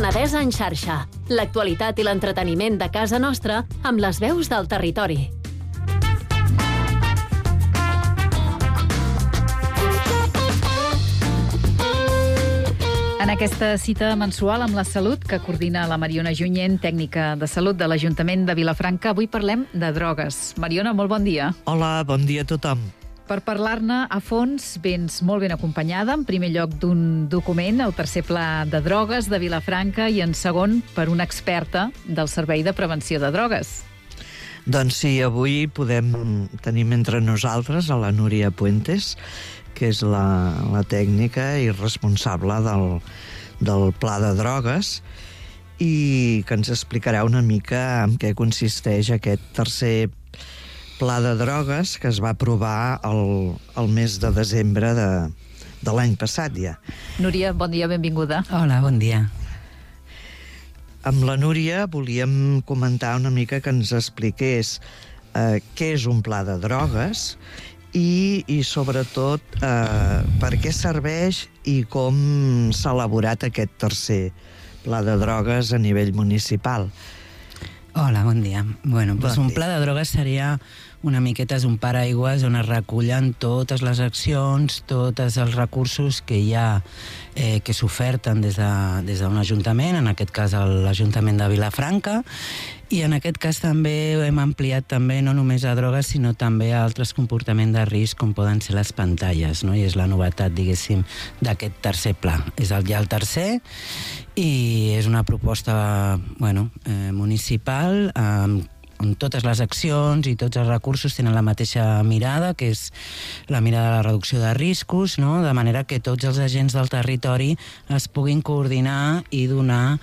Penedès en xarxa. L'actualitat i l'entreteniment de casa nostra amb les veus del territori. En aquesta cita mensual amb la salut que coordina la Mariona Junyent, tècnica de salut de l'Ajuntament de Vilafranca, avui parlem de drogues. Mariona, molt bon dia. Hola, bon dia a tothom. Per parlar-ne a fons, vens molt ben acompanyada, en primer lloc d'un document, el tercer pla de drogues de Vilafranca, i en segon per una experta del Servei de Prevenció de Drogues. Doncs sí, avui tenim entre nosaltres a la Núria Puentes, que és la tècnica i responsable del pla de drogues, i que ens explicarà una mica en què consisteix aquest tercer pla de drogues que es va aprovar el mes de desembre de l'any passat ja. Núria, bon dia, benvinguda. Hola, bon dia. Amb la Núria volíem comentar una mica que ens expliqués què és un pla de drogues i sobretot per què serveix i com s'ha elaborat aquest tercer pla de drogues a nivell municipal. Hola, bon dia. Bueno, Bon un dia. pla de drogues seria una miqueta un paraigües on es recullen totes les accions, tots els recursos que hi ha, que s'oferten des d'un ajuntament, en aquest cas l'Ajuntament de Vilafranca, i en aquest cas també hem ampliat també no només a drogues, sinó també a altres comportaments de risc, com poden ser les pantalles, no? I és la novetat, diguéssim, d'aquest tercer pla. És ja el tercer, i és una proposta municipal on totes les accions i tots els recursos tenen la mateixa mirada, que és la mirada de la reducció de riscos, no? De manera que tots els agents del territori es puguin coordinar i donar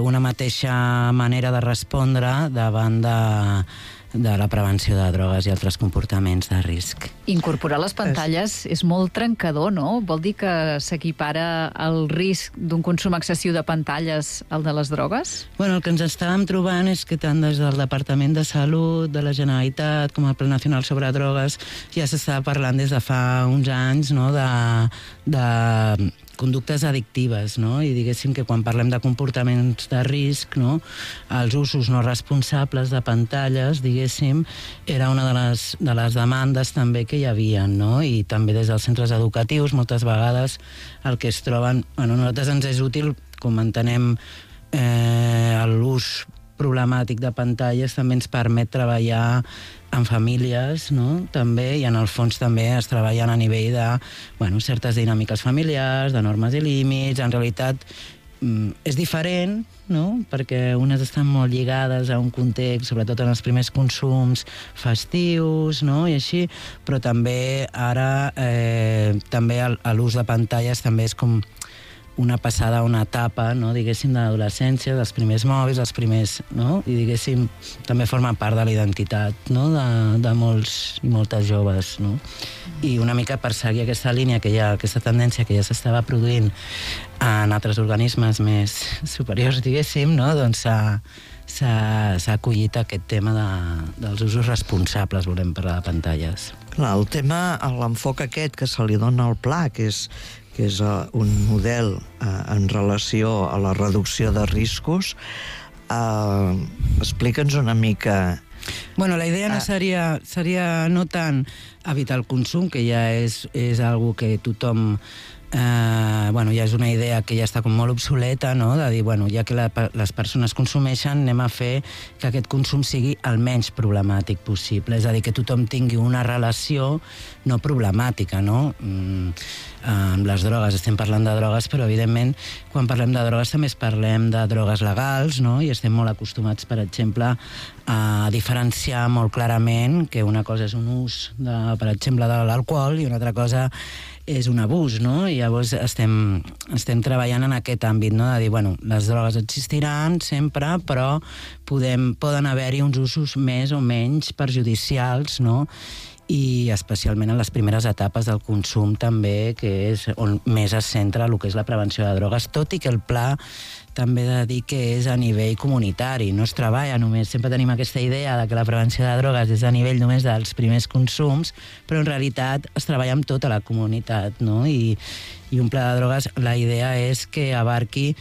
una mateixa manera de respondre davant de la prevenció de drogues i altres comportaments de risc. Incorporar les pantalles és molt trencador, no? Vol dir que s'equipara el risc d'un consum excessiu de pantalles al de les drogues? Bueno, el que ens estàvem trobant és que tant des del Departament de Salut, de la Generalitat, com el Pla Nacional sobre Drogues, ja s'estava parlant des de fa uns anys, no?, de conductes addictives, no? I diguéssim que quan parlem de comportaments de risc, no?, els usos no responsables de pantalles, diguéssim, era una de les demandes també que hi havia, no? I també des dels centres educatius moltes vegades el que es troben... Bueno, a nosaltres ens és útil, com entenem l'ús problemàtic de pantalles, també ens permet treballar en famílies, no?, també, i en el fons també es treballen a nivell de certes dinàmiques familiars, de normes i límits. En realitat és diferent, no?, perquè unes estan molt lligades a un context, sobretot en els primers consums festius, no?, i així, però també ara també l'ús de pantalles també és com una passada a una etapa, no?, diguéssim, de l'adolescència, dels primers mòbils, els primers, no?, i diguéssim, també forma part de la identitat, no?, de molts i moltes joves, no? I una mica per seguir aquesta línia que hi ha, aquesta tendència que ja s'estava produint en altres organismes més superiors, diguéssim, no?, doncs s'ha acollit aquest tema dels usos responsables, volem parlar de pantalles. Clar, el tema, l'enfoc aquest que se li dona al pla, que és un model en relació a la reducció de riscos, explica'ns una mica... Bueno, la idea no seria no tant evitar el consum, que ja és algo que tothom... ja és una idea que ja està com molt obsoleta, no?, de dir, ja que les persones consumeixen, anem a fer que aquest consum sigui el menys problemàtic possible, és a dir, que tothom tingui una relació no problemàtica, no? Amb les drogues, estem parlant de drogues, però evidentment quan parlem de drogues també parlem de drogues legals, no?, i estem molt acostumats, per exemple, a diferenciar molt clarament que una cosa és un ús, per exemple, de l'alcohol, i una altra cosa és un abús, no? I llavors estem treballant en aquest àmbit, no?, de dir, les drogues existiran sempre, però poden haver-hi uns usos més o menys perjudicials, no?, i especialment en les primeres etapes del consum també, que és on més es centra el que és la prevenció de drogues, tot i que el pla també he de dir que és a nivell comunitari, no es treballa només, sempre tenim aquesta idea de que la prevenció de drogues és a nivell només dels primers consums, però en realitat es treballa amb tota la comunitat, no? I un pla de drogues, la idea és que abarqui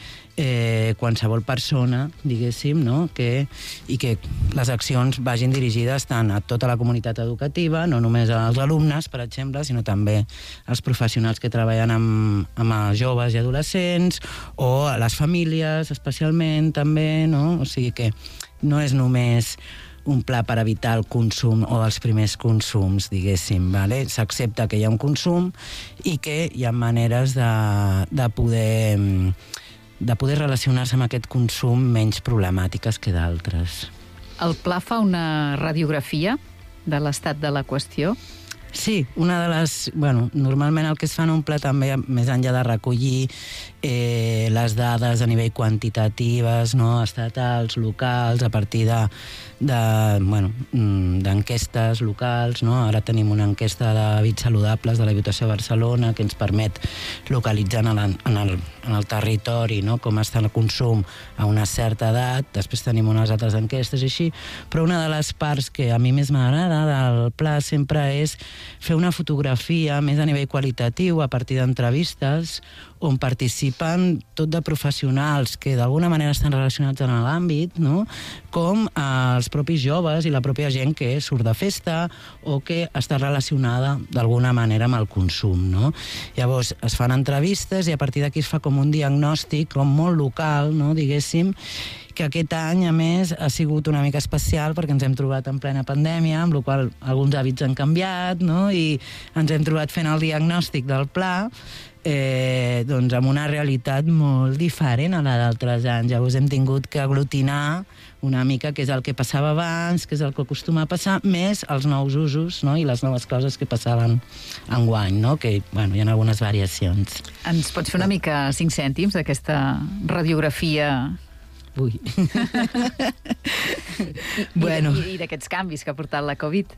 qualsevol persona, diguéssim, no? I que les accions vagin dirigides tant a tota la comunitat educativa, no només als alumnes, per exemple, sinó també als professionals que treballen amb joves i adolescents, o a les famílies, especialment, també, no? O sigui que no és només un pla per evitar el consum o els primers consums, diguéssim, vale? S'accepta que hi ha un consum i que hi ha maneres de poder relacionar-se amb aquest consum menys problemàtiques que d'altres. El pla fa una radiografia de l'estat de la qüestió? Sí, una de les... Bueno, normalment el que es fa en un pla també, més enllà de recollir les dades a nivell quantitatives, no? Estatals, locals, a partir d'enquestes locals, no? Ara tenim una enquesta d'hàbits saludables de la Diputació de Barcelona que ens permet localitzar en el territori, no? Com està el consum a una certa edat. Després tenim unes altres enquestes i així, però una de les parts que a mi més m'agrada del pla sempre és fer una fotografia més a nivell qualitatiu a partir d'entrevistes on participen tot de professionals que d'alguna manera estan relacionats en l'àmbit, no? Com els propis joves i la pròpia gent que surt de festa o que està relacionada d'alguna manera amb el consum, no? Llavors es fan entrevistes i a partir d'aquí es fa com un diagnòstic com molt local, no? Diguéssim, que aquest any, a més, ha sigut una mica especial perquè ens hem trobat en plena pandèmia, amb la qual cosa alguns hàbits han canviat, no? I ens hem trobat fent el diagnòstic del pla doncs amb una realitat molt diferent a la d'altres anys. Llavors hem tingut que aglutinar una mica què és el que passava abans, què és el que acostuma a passar, més els nous usos, no? I les noves coses que passaven enguany, no? Que, bueno, hi ha algunes variacions. Ens pots fer una mica 5 cèntims d'aquesta radiografia? Ui. Bueno. I d'aquests canvis que ha portat la Covid?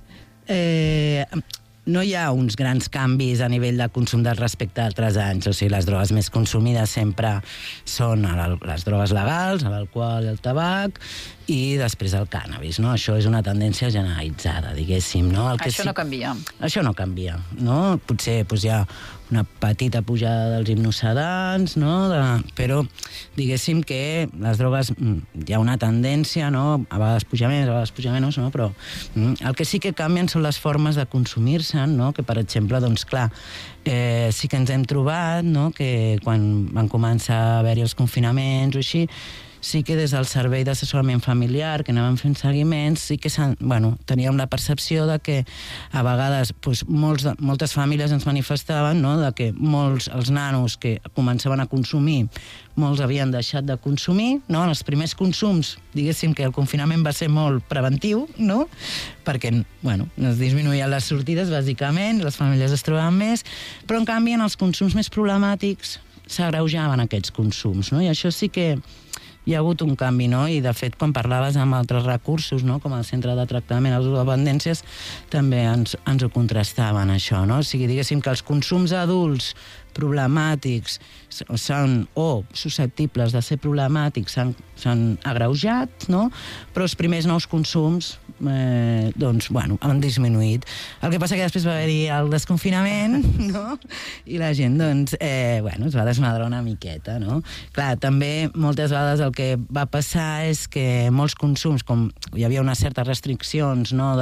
No hi ha uns grans canvis a nivell de consum respecte a altres anys. O sigui, les drogues més consumides sempre són les drogues legals, l'alcohol i el tabac, i després el cànnabis, no? Això és una tendència generalitzada, diguéssim, no? Això no canvia. Això no canvia, no? Potser hi ha una petita pujada dels hipnossedants, no? Però diguéssim que les drogues hi ha una tendència, no? A vegades puja més, a vegades puja menys, no? Però el que sí que canvien són les formes de consumir-se, no? Que, per exemple, doncs, clar, sí que ens hem trobat, no? Que quan van començar a haver-hi els confinaments o així, sí que des del servei d'assessorament familiar, que anàvem fent seguiments, sí que teníem la percepció de que a vegades moltes famílies ens manifestaven, no? De que els nanos que començaven a consumir, molts havien deixat de consumir, no? En els primers consums, diguéssim que el confinament va ser molt preventiu, no? Perquè, es disminuïen les sortides, bàsicament, les famílies es trobaven més, però en canvi en els consums més problemàtics s'agreujaven aquests consums, no? I això sí que hi ha hagut un canvi, no? I, de fet, quan parlaves amb altres recursos, no? Com el Centre de Tractament a les Dependències, també ens ho contrastaven, això, no? O sigui, diguéssim que els consums adults problemàtics o susceptibles de ser problemàtics s'han agreujat, no? Però els primers nous consums han disminuït. El que passa que després va haver-hi el desconfinament, no? I la gent, es va desmadrar una miqueta, no? Clar, també moltes vegades el que va passar és que molts consums, com hi havia unes certes restriccions, no?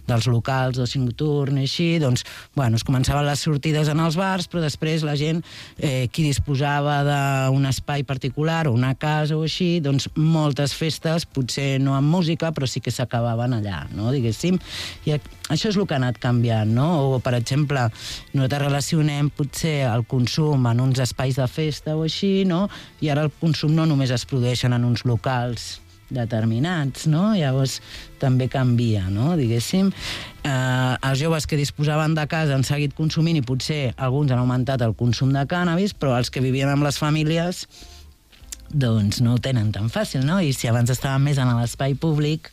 Dels locals d'oci nocturn i així, es començaven les sortides en els bars, però després la gent, qui disposava d'un espai particular o una casa o així, moltes festes, potser no amb música, però sí que s'acabaven allà, no? Diguéssim. I això és el que ha anat canviant, no? O, per exemple, nosaltres relacionem potser el consum en uns espais de festa o així, no? I ara el consum no només es produeix en uns locals determinats, no? Llavors també canvia, no? Diguéssim. Els joves que disposaven de casa han seguit consumint i potser alguns han augmentat el consum de cànnabis, però els que vivien amb les famílies no ho tenen tan fàcil, no? I si abans estaven més en l'espai públic,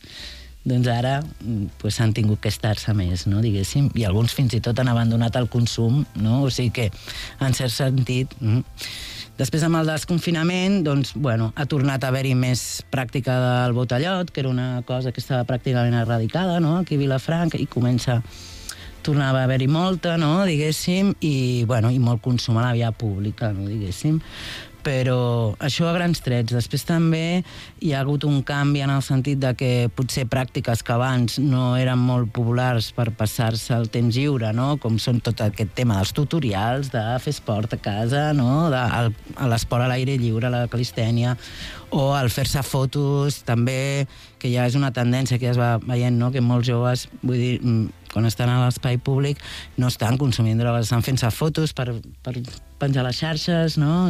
ara s'han tingut que estar-se més, no? Diguéssim, i alguns fins i tot han abandonat el consum, no? O sigui que, en cert sentit, Després, amb el desconfinament, doncs, bueno, ha tornat a haver-hi més pràctica del botellot, que era una cosa que estava pràcticament erradicada, no?, aquí a Vilafranca, i tornava a haver-hi molta, no?, diguéssim, i molt consum a la via pública, no?, diguéssim. Però això a grans trets. Després també hi ha hagut un canvi en el sentit de que potser pràctiques que abans no eren molt populars per passar-se el temps lliure, no?, com són tot aquest tema dels tutorials, de fer esport a casa, no?, l'esport a l'aire lliure, la calistènia, o el fer-se fotos, també, que ja és una tendència que ja es va veient, no?, que molts joves, vull dir, quan estan a l'espai públic, no estan consumint drogues, estan fent-se fotos per penjar les xarxes, no?,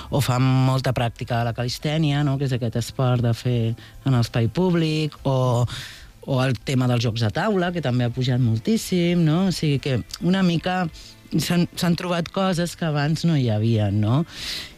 o fan molta pràctica de la calistènia, no?, que és aquest esport de fer en l'espai públic, o el tema dels jocs de taula, que també ha pujat moltíssim, no?, o sigui que una mica s'han trobat coses que abans no hi havia, no?,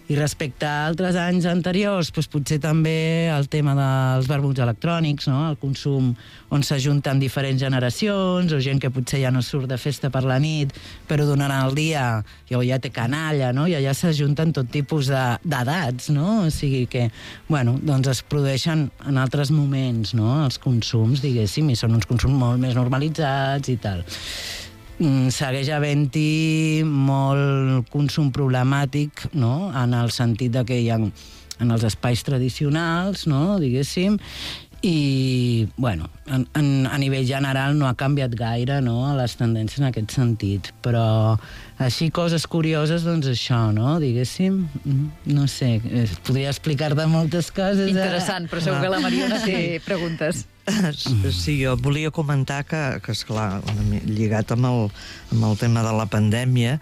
i respecte a altres anys anteriors, doncs potser també el tema dels vermuts electrònics, no?, el consum on s'ajunten diferents generacions, o gent que potser ja no surt de festa per la nit, però durant el dia ja té canalla, no?, i allà s'ajunten tot tipus d'edats, no?, o sigui que, doncs es produeixen en altres moments, no?, els consums, diguéssim, i són uns consums molt més normalitzats i tal. Segueix havent-hi molt consum problemàtic, no?, en el sentit de que hi ha en els espais tradicionals, no?, diguéssim, i, a nivell general no ha canviat gaire, no?, les tendències en aquest sentit, però així coses curioses, doncs això, no?, diguéssim, no sé, podria explicar-te moltes coses. Interessant, però segur que la Mariona té preguntes. Sí, jo volia comentar que esclar, lligat amb el tema de la pandèmia,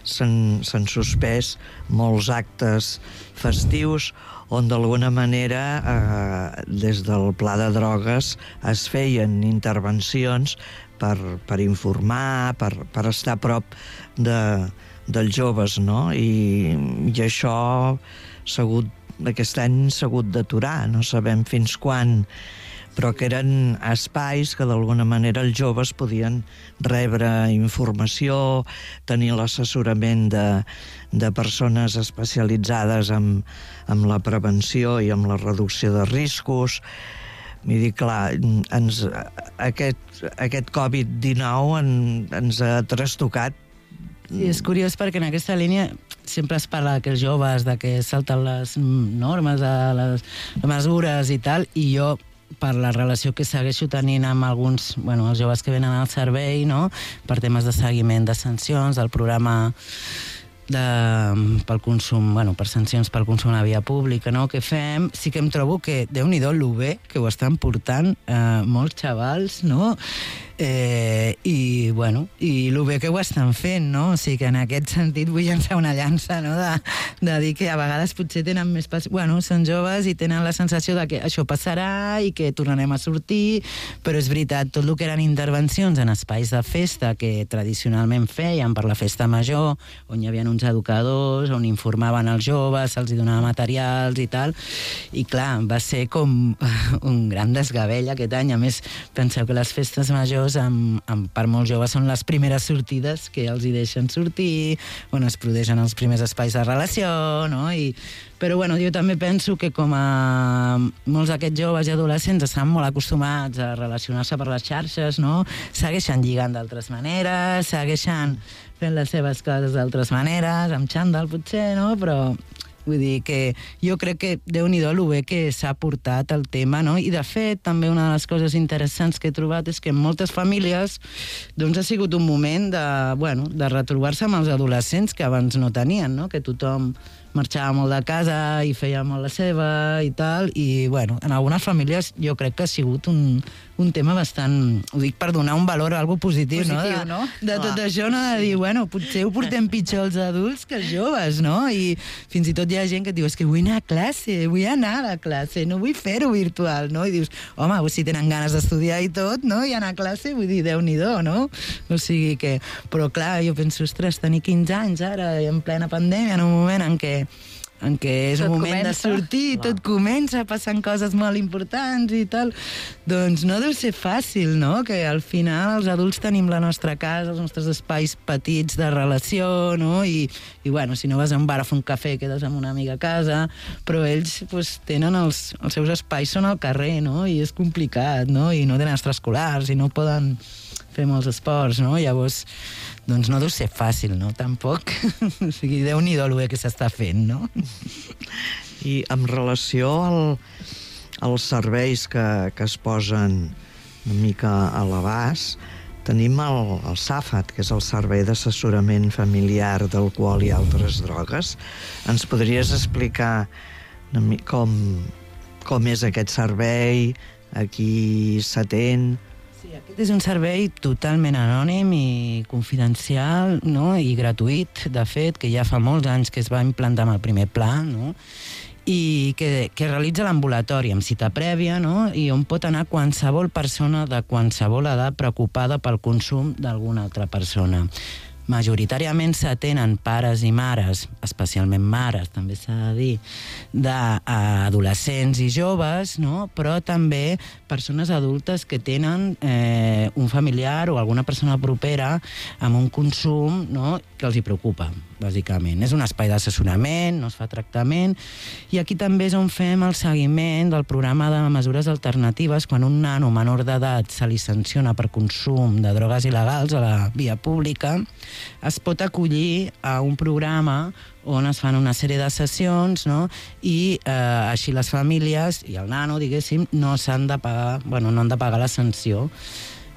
s'han suspès molts actes festius on d'alguna manera des del Pla de Drogues es feien intervencions per informar, per estar a prop dels joves, no? I això aquest any s'ha hagut d'aturar, no sabem fins quan, però que eren espais que d'alguna manera els joves podien rebre informació, tenir l'assessorament de persones especialitzades en la prevenció i en la reducció de riscos. Vull dir, clar, aquest Covid-19 ens ha trastocat. Sí, és curiós perquè en aquesta línia sempre es parla que els joves, de que salten les normes, les mesures i tal, i jo per la relació que segueixo tenint amb alguns, els joves que venen al servei, no?, per temes de seguiment de sancions, del programa pel consum, per sancions pel consum a la via pública, no?, que fem, sí que em trobo que, Déu-n'hi-do, lo bé que ho estan portant molts xavals, no?, i lo bé que ho estan fent, no? O sigui que en aquest sentit vull llançar una llança, no?, de dir que a vegades potser tenen més són joves i tenen la sensació de que això passarà i que tornarem a sortir, però és veritat, tot el que eren intervencions en espais de festa que tradicionalment feien per la festa major, on hi havia uns educadors, on informaven els joves, se'ls donava materials i tal, i clar, va ser com un gran desgavell aquest any. A més, penseu que les festes majors per molts joves són les primeres sortides que els hi deixen sortir, on es produeixen els primers espais de relació, no? Però jo també penso que com a molts d'aquests joves i adolescents estan molt acostumats a relacionar-se per les xarxes, no?, segueixen lligant d'altres maneres, segueixen fent les seves coses d'altres maneres, amb xandall potser, no?, però vull dir que jo crec que Déu-n'hi-do lo bé que s'ha portat el tema, no? I de fet, també una de les coses interessants que he trobat és que en moltes famílies doncs ha sigut un moment de retrobar-se amb els adolescents que abans no tenien, no? Que tothom marxava molt de casa i feia molt la seva i tal, i en algunes famílies jo crec que ha sigut un tema bastant, ho dic per donar un valor a algo positiu, no? De tot això, no? De dir, potser ho portem pitjor els adults que els joves, no? I fins i tot hi ha gent que diu, és que vull anar a classe, vull anar a la classe, no vull fer-ho virtual, no? I dius, home, si tenen ganes d'estudiar i tot, no? I anar a classe, vull dir, Déu-n'hi-do, no? O sigui que... Però clar, jo penso, ostres, tenir 15 anys ara, en plena pandèmia, en un moment en què en què és Tot un moment de comença. sortir, tot comença, passen coses molt importants i tal, doncs no deu ser fàcil, no? Que al final els adults tenim la nostra casa, els nostres espais petits de relació, no? I bueno, si no vas a un bar a fer un cafè, quedes amb una amiga a casa, però ells pues, tenen els seus espais, són al carrer, no? I és complicat, no? I no tenen extraescolars i no poden fer molts esports, no? Llavors, doncs no deu ser fàcil, no? Tampoc. O sigui, Déu-n'hi-do el bé que s'està fent, no? I en relació als serveis que es posen una mica a l'abast, tenim el SAFAT, que és el Servei d'Assessorament Familiar d'Alcohol i Altres Drogues. Ens podries explicar com és aquest servei, a qui s'atén? Sí, aquest és un servei totalment anònim i confidencial, no? I gratuït, de fet, que ja fa molts anys que es va implantar amb el primer pla, no? I que realitza l'ambulatori amb cita prèvia, no? I on pot anar qualsevol persona de qualsevol edat preocupada pel consum d'alguna altra persona. Majoritàriament s'atenen pares i mares, especialment mares, també s'ha de dir, d'adolescents i joves, no? Però també persones adultes que tenen un familiar o alguna persona propera amb un consum, no? Que els hi preocupa, bàsicament. És un espai d'assessorament, no es fa tractament, i aquí també és on fem el seguiment del programa de mesures alternatives quan un nano menor d'edat se li sanciona per consum de drogues il·legals a la via pública. Es pot acollir a un programa on es fan una sèrie de sessions, no? I així les famílies i el nano, diguéssim, no han de pagar la sanció,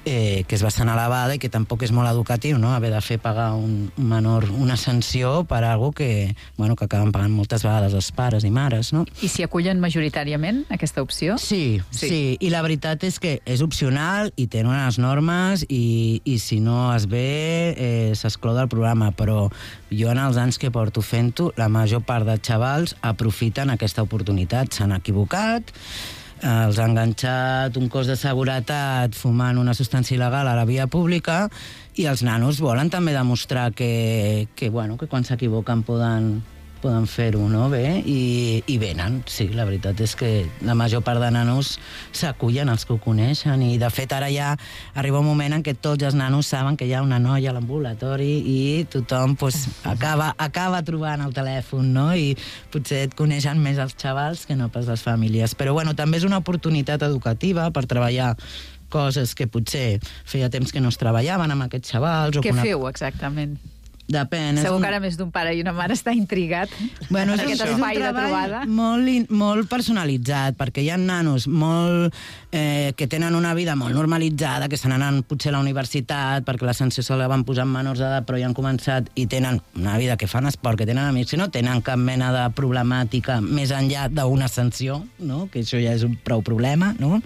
que és bastant elevada i que tampoc és molt educatiu, no? Haver de fer pagar un menor una sanció per alguna que acaben pagant moltes vegades els pares i mares, no? I s'hi acullen majoritàriament, aquesta opció? Sí. I la veritat és que és opcional i tenen unes normes i si no es ve s'exclou del programa, però jo en els anys que porto fent-ho, la major part de xavals aprofiten aquesta oportunitat, s'han equivocat, els ha enganxat un cos de seguretat fumant una substància il·legal a la via pública i els nanos volen també demostrar que quan s'equivoquen poden fer-ho, no? Bé, i venen. Sí, la veritat és que la major part de nanos s'acullen, els que ho coneixen, i de fet ara ja arriba un moment en què tots els nanos saben que hi ha una noia a l'ambulatori i tothom acaba trobant el telèfon, no? I potser et coneixen més els xavals que no pas les famílies. Però bueno, també és una oportunitat educativa per treballar coses que potser feia temps que no es treballaven amb aquests xavals. Què feu exactament? Depèn. Segur que ara més d'un pare i una mare està intrigat per aquest espai de trobada. Molt personalitzat, perquè hi ha nanos que tenen una vida molt normalitzada, que se n'anen potser a la universitat, perquè la sanció se la van posar en menors d'edat, però ja han començat i tenen una vida que fan esport, que tenen amics, que no tenen cap mena de problemàtica més enllà d'una sanció, no? Que això ja és un prou problema, no?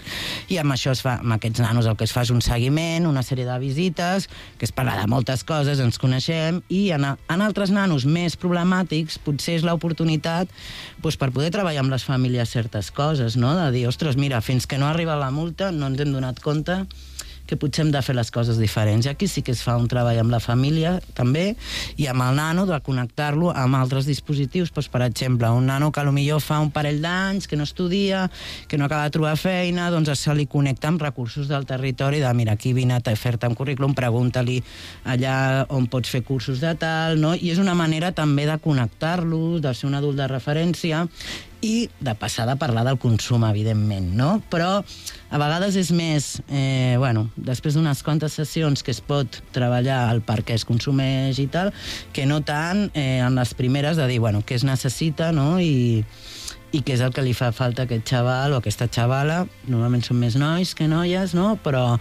I amb això amb aquests nanos el que es fa és un seguiment, una sèrie de visites, que es parla de moltes coses, ens coneixem, i en altres nanos més problemàtics potser és l'oportunitat per poder treballar amb les famílies certes coses, no? De dir, ostres, mira, fins que no arriba la multa no ens hem donat compte que potser hem de fer les coses diferents. I aquí sí que es fa un treball amb la família, també, i amb el nano, de connectar-lo amb altres dispositius. Per exemple, un nano que potser fa un parell d'anys, que no estudia, que no acaba de trobar feina, doncs se li connecta amb recursos del territori, de mira, aquí vine a fer-te un currículum, pregunta-li allà on pots fer cursos de tal, no? I és una manera també de connectar-lo, de ser un adult de referència, i de passar de parlar del consum, evidentment, no? Però a vegades és més, després d'unes quantes sessions que es pot treballar el per què es consumeix i tal, que no tant en les primeres de dir, què es necessita, no? I què és el que li fa falta a aquest xaval o a aquesta xavala. Normalment són més nois que noies, no? Però,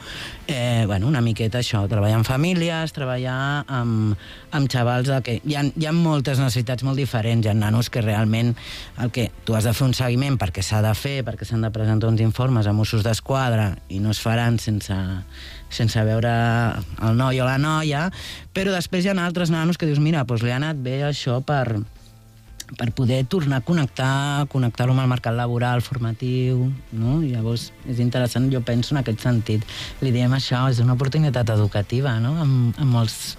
una miqueta això, treballar amb famílies, treballar amb xavals que hi ha moltes necessitats molt diferents. Hi ha nanos que realment el que tu has de fer un seguiment perquè s'ha de fer, perquè s'han de presentar uns informes a Mossos d'Esquadra i no es faran sense veure el noi o la noia, però després hi ha altres nanos que dius, mira, li ha anat bé això per per poder tornar a connectar-ho amb el mercat laboral, formatiu, no? I llavors és interessant, jo penso en aquest sentit. Li diem això, és una oportunitat educativa, no? Amb molts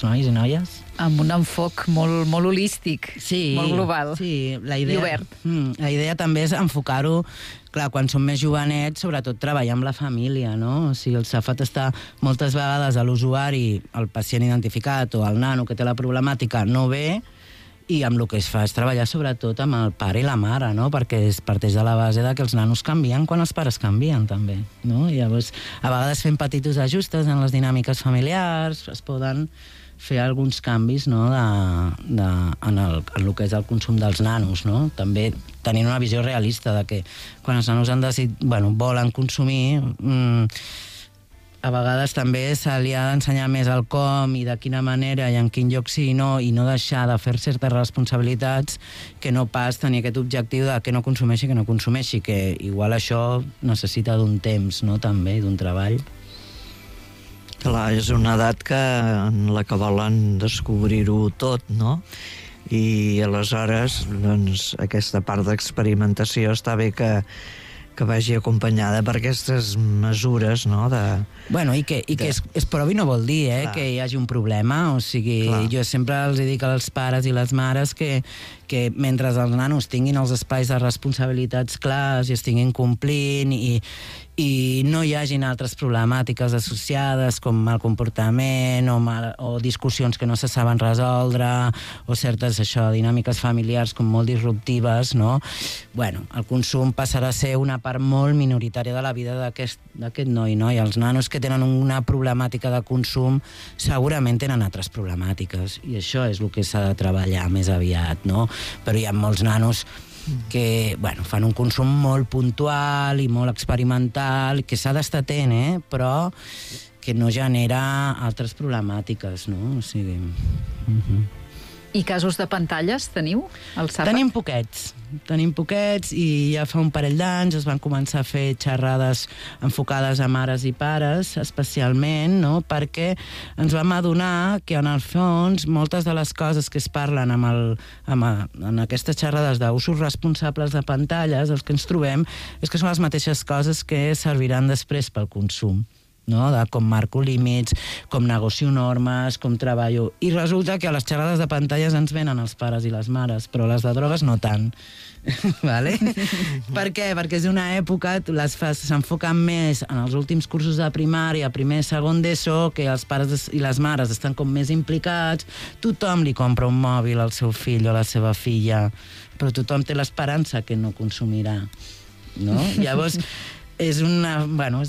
nois i noies. Amb un enfoc molt holístic, molt global, sí, la idea, i obert. La idea també és enfocar-ho, clar, quan som més jovenets, sobretot treballar amb la família, no? O sigui, el Safat està moltes vegades a l'usuari, el pacient identificat o el nano que té la problemàtica no ve, i amb el que es fa és treballar sobretot amb el pare i la mare, no? Perquè es parteix de la base de que els nanos canvien quan els pares canvien, també, no? I llavors, a vegades fent petits ajustos en les dinàmiques familiars, es poden fer alguns canvis, no? En el que és el consum dels nanos, no? També tenint una visió realista de que quan els nanos volen consumir, a vegades també se li ha d'ensenyar més el com i de quina manera i en quin lloc sí i no deixar de fer certes responsabilitats que no pas tenir aquest objectiu de que no consumeixi, que igual això necessita d'un temps, no?, també, d'un treball. Clar, és una edat en la que volen descobrir-ho tot, no? I aleshores, doncs, aquesta part d'experimentació està bé que vagi acompanyada per aquestes mesures, no? Bueno, i que es provi no vol dir que hi hagi un problema, o sigui, jo sempre els dic als pares i les mares que mentre els nanos tinguin els espais de responsabilitats clars i estiguin complint i no hi hagin altres problemàtiques associades com mal comportament o discussions que no se saben resoldre o certes dinàmiques familiars com molt disruptives, no? Bueno, el consum passarà a ser una part molt minoritària de la vida d'aquest noi, no? I els nanos que tenen una problemàtica de consum segurament tenen altres problemàtiques i això és el que s'ha de treballar més aviat, no? Però hi ha molts nanos que fan un consum molt puntual i molt experimental, que s'ha d'estar atent, però que no genera altres problemàtiques, no? O sigui... I casos de pantalles teniu, al Safat? Tenim poquets i ja fa un parell d'anys es van començar a fer xerrades enfocades a mares i pares, especialment, no? Perquè ens vam adonar que en el fons moltes de les coses que es parlen en aquestes xerrades d'usos responsables de pantalles, els que ens trobem és que són les mateixes coses que serviran després pel consum, no? De com marco límits, com negocio normes, com treballo. I resulta que a les xerrades de pantalles ens venen els pares i les mares, però les de drogues no tant. Vale? Per què? Perquè és una època, s'enfoquen més en els últims cursos de primària, primer, segon d'ESO, que els pares i les mares estan com més implicats, tothom li compra un mòbil al seu fill o a la seva filla, però tothom té l'esperança que no consumirà, no? Llavors, és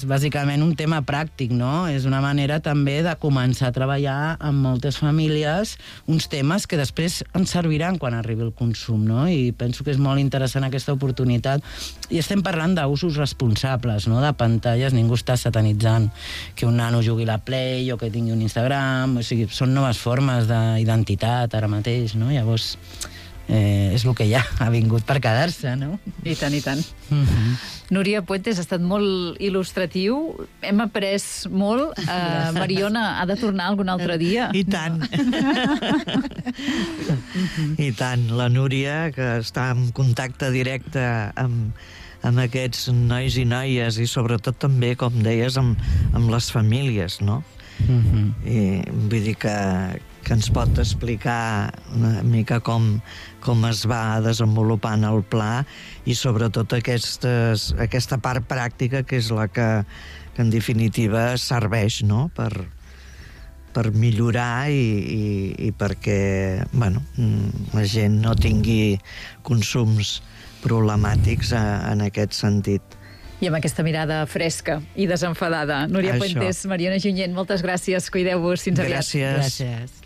bàsicament un tema pràctic, no? És una manera també de començar a treballar amb moltes famílies uns temes que després ens serviran quan arribi el consum, no? I penso que és molt interessant aquesta oportunitat. I estem parlant d'usos responsables, no? De pantalles, ningú està satanitzant que un nano jugui a la Play o que tingui un Instagram, o sigui, són noves formes d'identitat ara mateix, no? Llavors... és el que ja ha vingut per quedar-se, no? I tant, i tant. Núria Puentes, ha estat molt il·lustratiu, hem après molt. Mariona ha de tornar algun altre dia. I tant. I tant. La Núria, que està en contacte directe amb aquests nois i noies i sobretot també, com deies, amb les famílies, no? I vull dir que ens pot explicar una mica com es va desenvolupant el pla i sobretot aquesta part pràctica que és la que en definitiva serveix, no? Per millorar i perquè la gent no tingui consums problemàtics en aquest sentit. I amb aquesta mirada fresca i desenfadada. Núria Puentes, Mariona Junyent, moltes gràcies. Cuideu-vos. Fins aviat. Gràcies. Gràcies.